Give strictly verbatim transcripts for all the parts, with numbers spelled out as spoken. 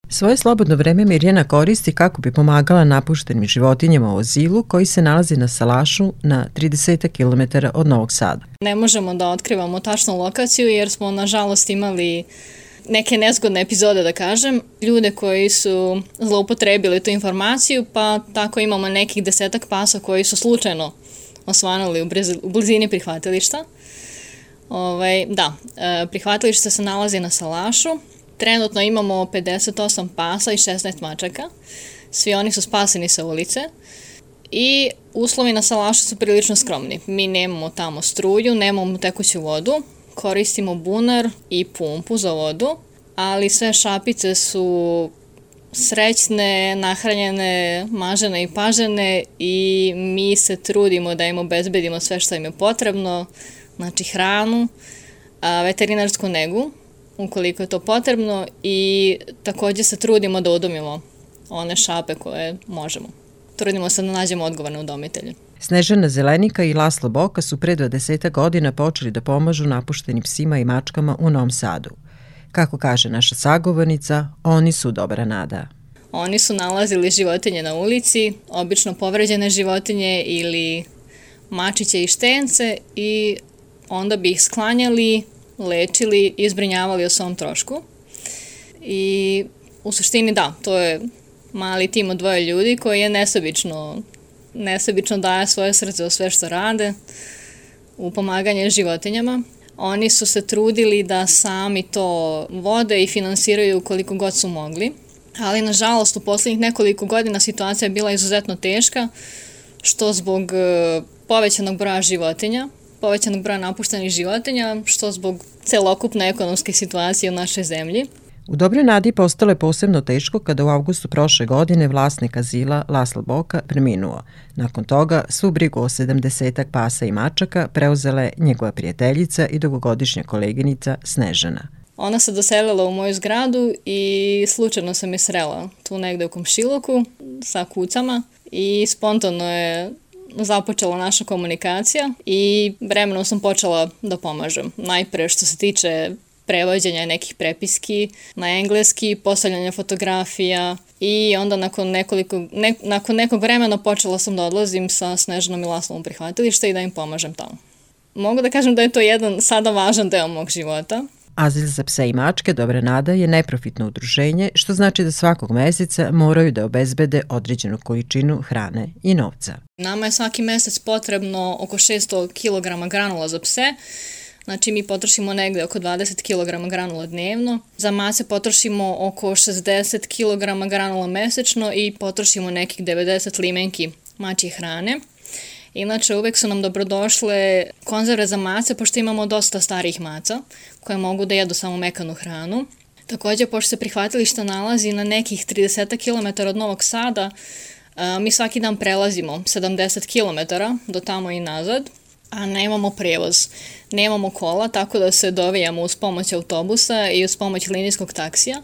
Svoje slobodno vreme Mirjana koristi kako bi pomagala napuštenim životinjama u azilu koji se nalazi na salašu na trideset kilometara od Novog Sada. Ne možemo da otkrivamo tačnu lokaciju jer smo nažalost imali neke nezgodne epizode, da kažem, ljude koji su zloupotrebili tu informaciju, pa tako imamo nekih desetak pasa koji su slučajno osvanuli u, bliz, u blizini prihvatilišta. Ovaj, da, prihvatilište se nalazi na salašu. Trenutno imamo pedeset osam pasa i šesnaest mačaka. Svi oni su spaseni sa ulice. I uslovi na salašu su prilično skromni. Mi nemamo tamo struju, nemamo tekuću vodu, koristimo bunar i pumpu za vodu, ali sve šapice su srećne, nahranjene, mažene i pažene i mi se trudimo da im obezbedimo sve što im je potrebno, znači hranu, veterinarsku negu, ukoliko je to potrebno, i također se trudimo da udomimo one šape koje možemo. Trudimo se da nađemo odgovorne udomitelje. Snežana Zelenika i Laslo Boka su pre dvadeset godina počeli da pomažu napuštenim psima i mačkama u Novom Sadu. Kako kaže naša sagovornica, oni su dobra nada. Oni su nalazili životinje na ulici, obično povređene životinje ili mačiće i štence, i onda bi ih sklanjali, lečili i zbrinjavali o svom trošku. I u suštini da, to je mali tim od dvoje ljudi koji je nesebično, nesebično daje svoje srce u sve što rade, u pomaganje životinjama. Oni su se trudili da sami to vode i finansiraju koliko god su mogli, ali nažalost u posljednjih nekoliko godina situacija je bila izuzetno teška, što zbog povećanog broja životinja, povećanog broja napuštenih životinja, što zbog celokupne ekonomske situacije u našoj zemlji. U Dobroj nadi postalo je posebno teško kada u avgustu prošle godine vlasnik azila Laslo Boka preminuo. Nakon toga svu brigu o sedamdesetak pasa i mačaka preuzela je njegova prijateljica i dugogodišnja koleginica Snežana. Ona se doselila u moju zgradu i slučajno sam je srela tu negde u komšiluku sa kucama i spontano je započela naša komunikacija i vremenom sam počela da pomažem. Najpre što se tiče prevođenja nekih prepiski na engleski, postavljanja fotografija, i onda nakon, nekoliko, ne, nakon nekog vremena počela sam da odlazim sa Snežanom i Laslom u prihvatilište i da im pomažem tamo. Mogu da kažem da je to jedan sada važan deo mog života. Azil za pse i mačke Dobra nada je neprofitno udruženje, što znači da svakog meseca moraju da obezbede određenu količinu hrane i novca. Nama je svaki mesec potrebno oko šesto kilograma granula za pse. Znači mi potrošimo negde oko dvadeset kilograma granula dnevno. Za mace potrošimo oko šezdeset kilograma granula mesečno i potrošimo nekih devedeset limenki mačje hrane. Inače, uvek su nam dobrodošle konzerve za mace, pošto imamo dosta starijih maca koje mogu da jedu samo mekanu hranu. Također, pošto se prihvatilište nalazi na nekih trideset kilometara od Novog Sada, mi svaki dan prelazimo sedamdeset kilometara do tamo i nazad, a nemamo prevoz. Nemamo kola, tako da se dovijamo uz pomoć autobusa i uz pomoć linijskog taksija.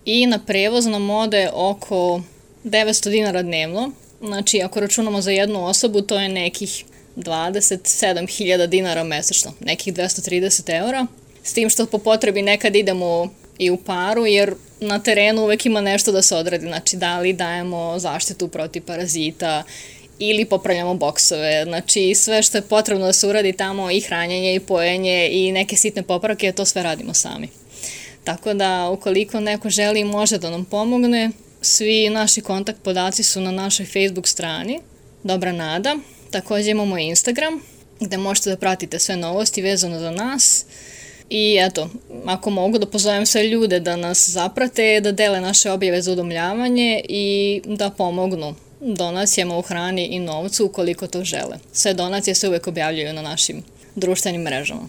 I na prevoz nam ode oko devetsto dinara dnevno. Znači, ako računamo za jednu osobu, to je nekih dvadeset sedam hiljada dinara mesečno, nekih dvesta trideset eura. S tim što po potrebi nekad idemo i u paru, jer na terenu uvek ima nešto da se odradi. Znači, da li dajemo zaštitu protiv parazita ili popravljamo boksove. Znači, sve što je potrebno da se uradi tamo, i hranjenje, i pojenje, i neke sitne popravke, to sve radimo sami. Tako da, ukoliko neko želi, može da nam pomogne. Svi naši kontakt podaci su na našoj Facebook strani Dobra nada. Također imamo Instagram gde možete da pratite sve novosti vezano za nas. I eto, ako mogu da pozovem sve ljude da nas zaprate, da dele naše objave za udomljavanje i da pomognu donacijama u hrani i novcu ukoliko to žele. Sve donacije se uvek objavljuju na našim društvenim mrežama.